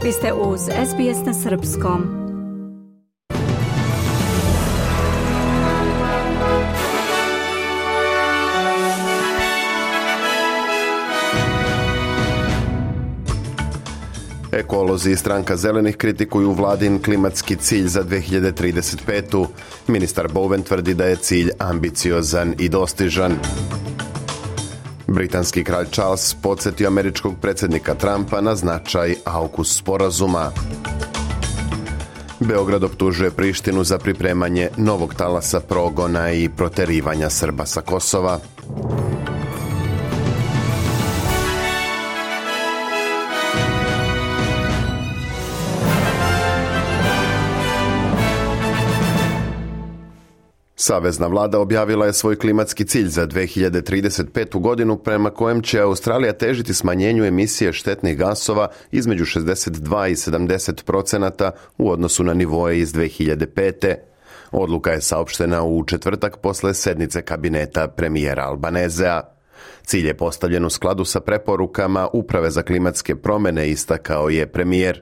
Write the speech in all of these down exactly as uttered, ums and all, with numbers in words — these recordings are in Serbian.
Vi ste uz S B S na srpskom. Ekolozi i stranka zelenih kritikuju vladin klimatski cilj za dve hiljade trideset petu. Ministar Bowen tvrdi da je cilj ambiciozan i dostižan. Britanski kralj Charles podsjetio američkog predsjednika Trumpa na značaj AUKUS sporazuma. Beograd optužuje Prištinu za pripremanje novog talasa progona i proterivanja Srba sa Kosova. Savezna vlada objavila je svoj klimatski cilj za dve hiljade trideset petu. godinu prema kojem će Australija težiti smanjenju emisije štetnih gasova između šezdeset dva i sedamdeset procenata u odnosu na nivoe iz dve hiljade pete. Odluka je saopštena u četvrtak posle sednice kabineta premijera Albanezea. Cilj je postavljen u skladu sa preporukama Uprave za klimatske promjene, istakao je premijer.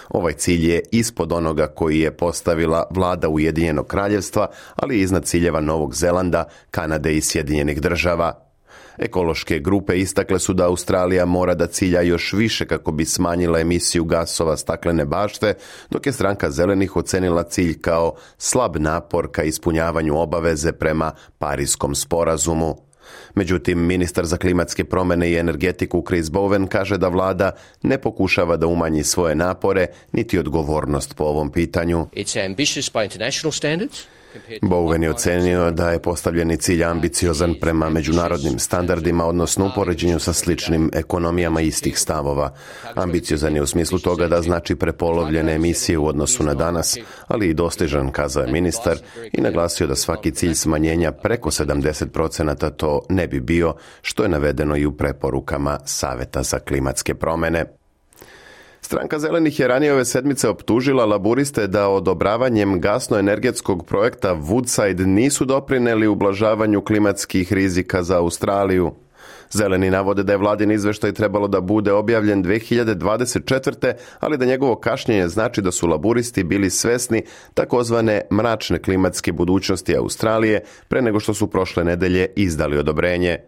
Ovaj cilj je ispod onoga koji je postavila vlada Ujedinjenog kraljevstva, ali iznad ciljeva Novog Zelanda, Kanade i Sjedinjenih država. Ekološke grupe istakle su da Australija mora da cilja još više kako bi smanjila emisiju gasova staklene bašte, dok je stranka zelenih ocenila cilj kao slab napor ka ispunjavanju obaveze prema Parijskom sporazumu. Međutim, ministar za klimatske promjene i energetiku Chris Bowen kaže da vlada ne pokušava da umanji svoje napore niti odgovornost po ovom pitanju. Bowen je ocenio da je postavljeni cilj ambiciozan prema međunarodnim standardima, odnosno u poređenju sa sličnim ekonomijama istih stavova. Ambiciozan je u smislu toga da znači prepolovljene emisije u odnosu na danas, ali i dostižan, kazao je ministar i naglasio da svaki cilj smanjenja preko sedamdeset procenata to ne bi bio, što je navedeno i u preporukama Saveta za klimatske promjene. Stranka zelenih je ranije ove sedmice optužila laburiste da odobravanjem gasno-energetskog projekta Woodside nisu doprineli ublažavanju klimatskih rizika za Australiju. Zeleni navode da je vladin izveštaj trebalo da bude objavljen dve hiljade dvadeset četvrte. ali da njegovo kašnjenje znači da su laburisti bili svesni takozvane mračne klimatske budućnosti Australije pre nego što su prošle nedelje izdali odobrenje.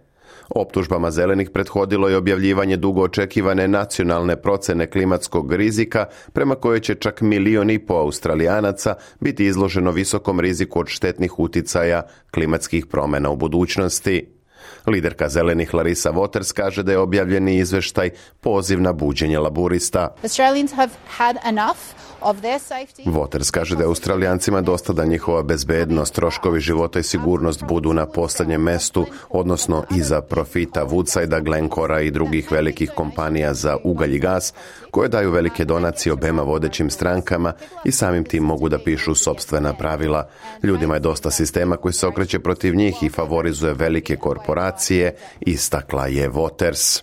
Optužbama zelenih prethodilo je objavljivanje dugo očekivane nacionalne procene klimatskog rizika, prema kojoj će čak milion i po Australijanaca biti izloženo visokom riziku od štetnih uticaja klimatskih promjena u budućnosti. Liderka zelenih Larissa Waters kaže da je objavljeni izveštaj poziv na buđenje laburista. Waters kaže da je Australijancima dosta da njihova bezbednost, troškovi života i sigurnost budu na posljednjem mestu, odnosno iza profita Woodsidea, Glencora i drugih velikih kompanija za ugalj i gas, koje daju velike donacije obema vodećim strankama i samim tim mogu da pišu sopstvena pravila. Ljudima je dosta sistema koji se okreće protiv njih i favorizuje velike korporacije, istakla je Waters.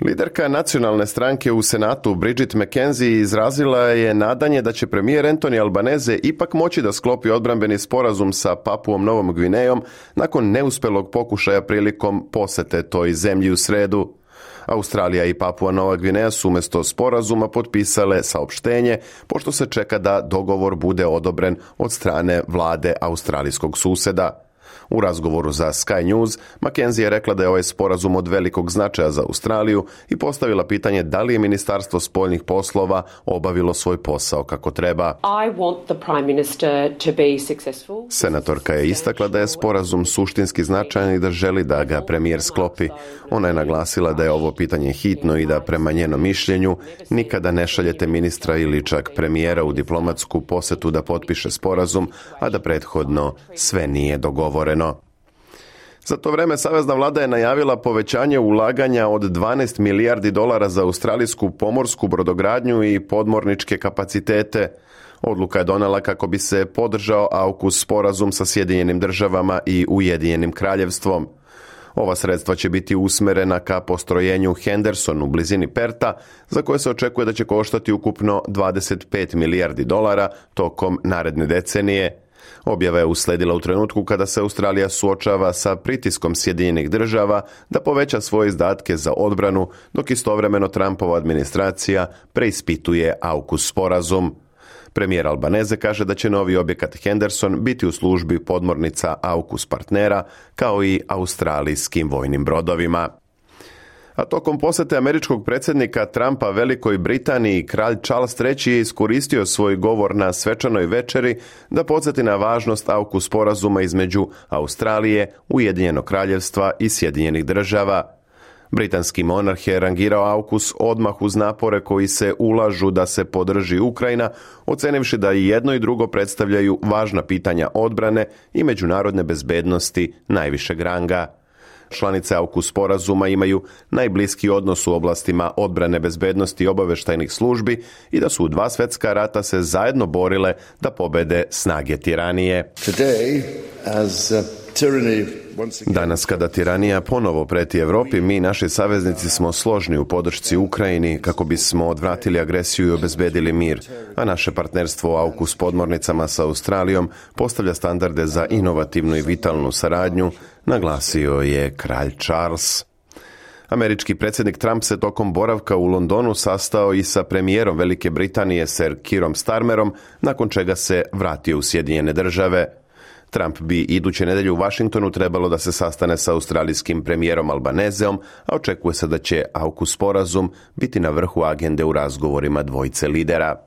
Liderka nacionalne stranke u Senatu Bridget McKenzie izrazila je nadanje da će premijer Anthony Albanese ipak moći da sklopi odbrambeni sporazum sa Papuom Novom Gvinejom nakon neuspelog pokušaja prilikom posete toj zemlji u sredu. Australija i Papua Nova Gvineja su umjesto sporazuma potpisale saopštenje, pošto se čeka da dogovor bude odobren od strane vlade australijskog suseda. U razgovoru za Sky News, McKenzie je rekla da je ovaj sporazum od velikog značaja za Australiju i postavila pitanje da li je Ministarstvo spoljnih poslova obavilo svoj posao kako treba. Senatorka je istakla da je sporazum suštinski značajan i da želi da ga premijer sklopi. Ona je naglasila da je ovo pitanje hitno i da prema njenom mišljenju nikada ne šaljete ministra ili čak premijera u diplomatsku posetu da potpiše sporazum, a da prethodno sve nije dogovoreno. Za to vreme savezna vlada je najavila povećanje ulaganja od dvanaest milijardi dolara za australijsku pomorsku brodogradnju i podmorničke kapacitete. Odluka je donela kako bi se podržao AUKUS sporazum sa Sjedinjenim državama i Ujedinjenim kraljevstvom. Ova sredstva će biti usmerena ka postrojenju Henderson u blizini Perta, za koje se očekuje da će koštati ukupno dvadeset pet milijardi dolara tokom naredne decenije. Objava je usledila u trenutku kada se Australija suočava sa pritiskom Sjedinjenih država da poveća svoje izdatke za odbranu, dok istovremeno Trumpova administracija preispituje AUKUS sporazum. Premijer Albanese kaže da će novi objekat Henderson biti u službi podmornica AUKUS partnera, kao i australijskim vojnim brodovima. A tokom posjete američkog predsjednika Trumpa Velikoj Britaniji, kralj Charles treći je iskoristio svoj govor na svečanoj večeri da podsjeti na važnost AUKUS sporazuma između Australije, Ujedinjenog kraljevstva i Sjedinjenih država. Britanski monarh je rangirao AUKUS odmah uz napore koji se ulažu da se podrži Ukrajina, ocenivši da i jedno i drugo predstavljaju važna pitanja odbrane i međunarodne bezbednosti najvišeg ranga. Članice AUKUS sporazuma imaju najbliski odnos u oblastima odbrane, bezbednosti i obavještajnih službi i da su u dva svjetska rata se zajedno borile da pobede snage tiranije. Today, as, uh, tyranny... Danas kada tiranija ponovo preti Europi, mi, naši saveznici, smo složni u podršci Ukrajini kako bismo odvratili agresiju i obezbedili mir, a naše partnerstvo u AUKUS podmornicama sa Australijom postavlja standarde za inovativnu i vitalnu saradnju, naglasio je kralj Charles. Američki predsjednik Trump se tokom boravka u Londonu sastao i sa premijerom Velike Britanije Sir Keerom Starmerom, nakon čega se vratio u Sjedinjene države. Trump bi iduće nedjelje u Washingtonu trebalo da se sastane sa australijskim premijerom Albaneseom, a očekuje se da će AUKUS sporazum biti na vrhu agende u razgovorima dvojice lidera.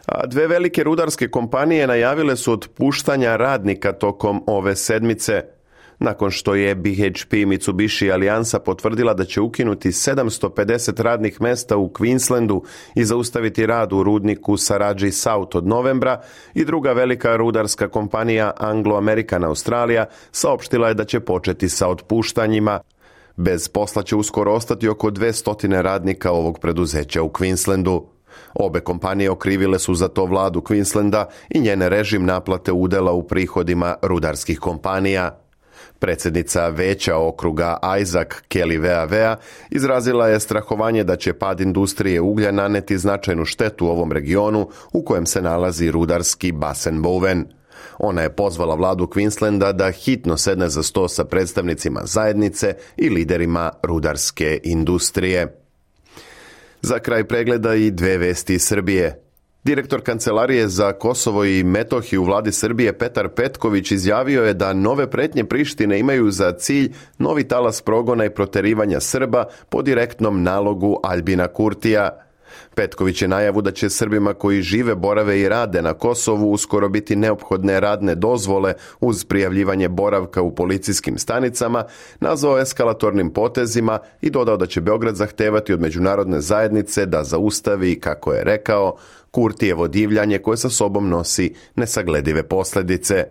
A dve velike rudarske kompanije najavile su otpuštanja radnika tokom ove sedmice. Nakon što je B H P Mitsubishi alijansa potvrdila da će ukinuti sedamsto pedeset radnih mesta u Queenslandu i zaustaviti rad u rudniku Saraji South od novembra, i druga velika rudarska kompanija Anglo-American Australia saopštila je da će početi sa otpuštanjima. Bez posla će uskoro ostati oko dvjesto radnika ovog preduzeća u Queenslandu. Obe kompanije okrivile su za to vladu Queenslanda i njene režim naplate udjela u prihodima rudarskih kompanija. Predsjednica veća okruga Isaac Kelly V A V izrazila je strahovanje da će pad industrije uglja naneti značajnu štetu u ovom regionu u kojem se nalazi rudarski basen Bowen. Ona je pozvala vladu Queenslanda da hitno sedne za sto sa predstavnicima zajednice i liderima rudarske industrije. Za kraj pregleda i dve vesti iz Srbije. Direktor Kancelarije za Kosovo i Metohiju u vladi Srbije Petar Petković izjavio je da nove pretnje Prištine imaju za cilj novi talas progona i proterivanja Srba po direktnom nalogu Aljbina Kurtija. Petković je najavu da će Srbima koji žive, borave i rade na Kosovu uskoro biti neophodne radne dozvole uz prijavljivanje boravka u policijskim stanicama nazvao eskalatornim potezima i dodao da će Beograd zahtevati od međunarodne zajednice da zaustavi, kako je rekao, Kurtijevo divljanje koje sa sobom nosi nesagledive posljedice.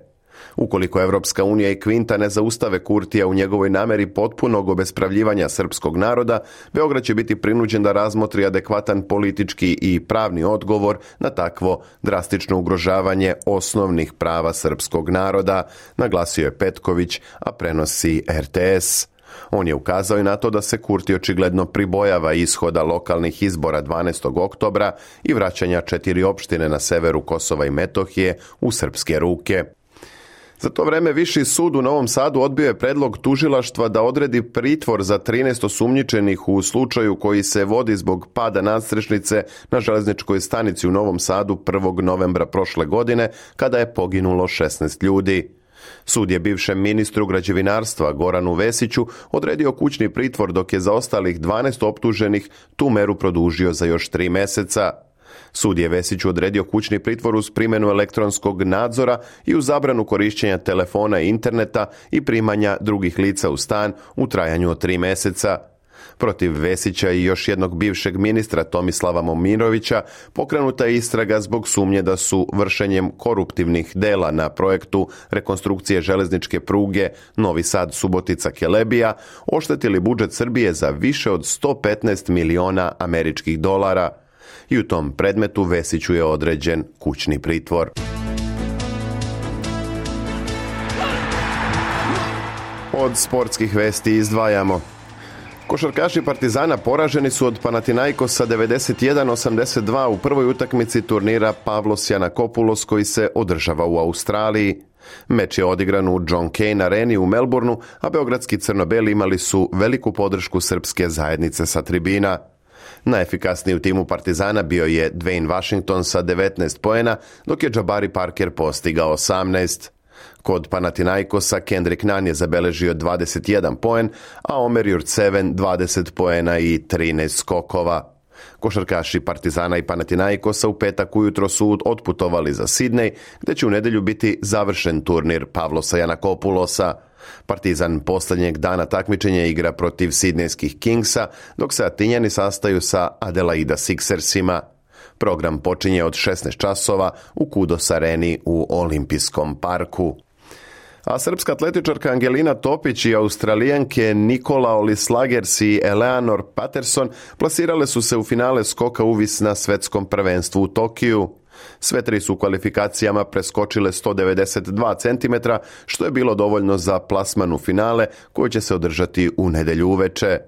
Ukoliko Evropska unija i Kvinta ne zaustave Kurtija u njegovoj nameri potpunog obespravljivanja srpskog naroda, Beograd će biti prinuđen da razmotri adekvatan politički i pravni odgovor na takvo drastično ugrožavanje osnovnih prava srpskog naroda, naglasio je Petković, a prenosi R T S. On je ukazao i na to da se Kurti očigledno pribojava ishoda lokalnih izbora dvanaestog oktobra i vraćanja četiri opštine na severu Kosova i Metohije u srpske ruke. Za to vreme Viši sud u Novom Sadu odbio je predlog tužilaštva da odredi pritvor za trinaest osumnjičenih u slučaju koji se vodi zbog pada nadstrešnice na železničkoj stanici u Novom Sadu prvog novembra prošle godine, kada je poginulo šesnaest ljudi. Sud je bivšem ministru građevinarstva Goranu Vesiću odredio kućni pritvor, dok je za ostalih dvanaest optuženih tu meru produžio za još tri mjeseca. Sud je Vesiću odredio kućni pritvor uz primjenu elektronskog nadzora i uz zabranu korištenja telefona i interneta i primanja drugih lica u stan u trajanju od tri mjeseca. Protiv Vesića i još jednog bivšeg ministra Tomislava Momirovića pokrenuta je istraga zbog sumnje da su vršenjem koruptivnih dela na projektu rekonstrukcije železničke pruge Novi Sad-Subotica-Kelebija oštetili budžet Srbije za više od sto petnaest miliona američkih dolara. I u tom predmetu Vesiću je određen kućni pritvor. Od sportskih vesti izdvajamo: Košarkaši Partizana poraženi su od Panathinaikosa devedeset jedan osamdeset dva u prvoj utakmici turnira Pavlos Yiannakopoulos koji se održava u Australiji. Meč je odigran u John Cain areni u Melbourneu, a beogradski crno-beli imali su veliku podršku srpske zajednice sa tribina. Najefikasniji u timu Partizana bio je Dwayne Washington sa devetnaest poena, dok je Jabari Parker postigao osamnaest. Kod Panathinaikosa Kendrick Nunn je zabeležio dvadeset jedan poen, a Omer Jurtseven dvadeset poena i trinaest skokova. Košarkaši Partizana i Panathinaikosa u petak ujutro su otputovali za Sidney, gdje će u nedjelju biti završen turnir Pavlosa Yiannakopoulosa. Partizan posljednjeg dana takmičenja igra protiv sidnejskih Kingsa, dok se Atinjani sastaju sa Adelaida Sixersima. Program počinje od šesnaest časova u Kudos areni u Olimpijskom parku. A srpska atletičarka Angelina Topić i Australijanke Nikola Olislagers i Eleanor Patterson plasirale su se u finale skoka uvis na svetskom prvenstvu u Tokiju. Sve tri su u kvalifikacijama preskočile sto devedeset dva centimetra, što je bilo dovoljno za plasman u finale koji će se održati u nedjelju uveče.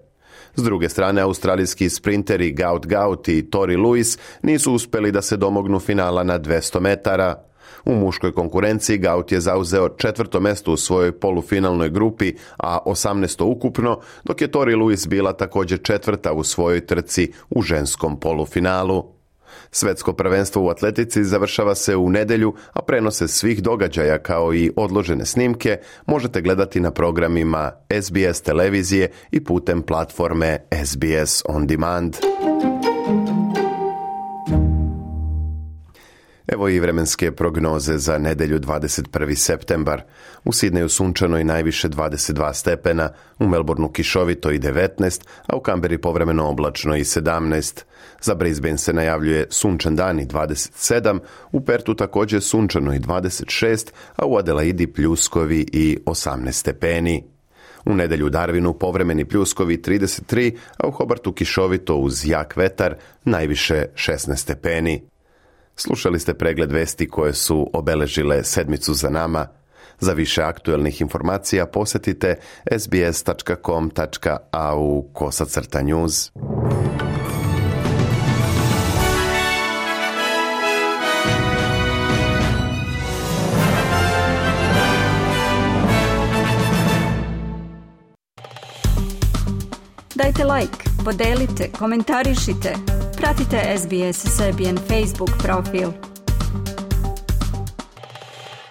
S druge strane, australijski sprinteri Gaut Gaut i Tori Lewis nisu uspjeli da se domognu finala na dvjesto metara. U muškoj konkurenciji Gaut je zauzeo četvrto mjesto u svojoj polufinalnoj grupi, a osamnaesto ukupno, dok je Tori Lewis bila također četvrta u svojoj trci u ženskom polufinalu. Svetsko prvenstvo u atletici završava se u nedjelju, a prenose svih događaja kao i odložene snimke možete gledati na programima S B S televizije i putem platforme S B S On Demand. Evo i vremenske prognoze za nedjelju dvadeset prvi septembar. U Sidneju sunčano i najviše dvadeset dva stepena, u Melbourneu kišovito i devetnaest, a u Kamberi povremeno oblačno i sedamnaest. Za Brisbane se najavljuje sunčan dan i dvadeset sedam, u Pertu također sunčano i dvadeset šest, a u Adelaidi pljuskovi i osamnaest stepeni. U nedjelju u Darwinu povremeni pljuskovi trideset tri, a u Hobartu kišovito uz jak vetar, najviše šesnaest stepeni. Slušali ste pregled vesti koje su obeležile sedmicu za nama. Za više aktuelnih informacija posjetite sbs tačka com tačka a u kosacrta news. Dajte like, podelite, komentarišite. Pratite S B S Serbian Facebook profil.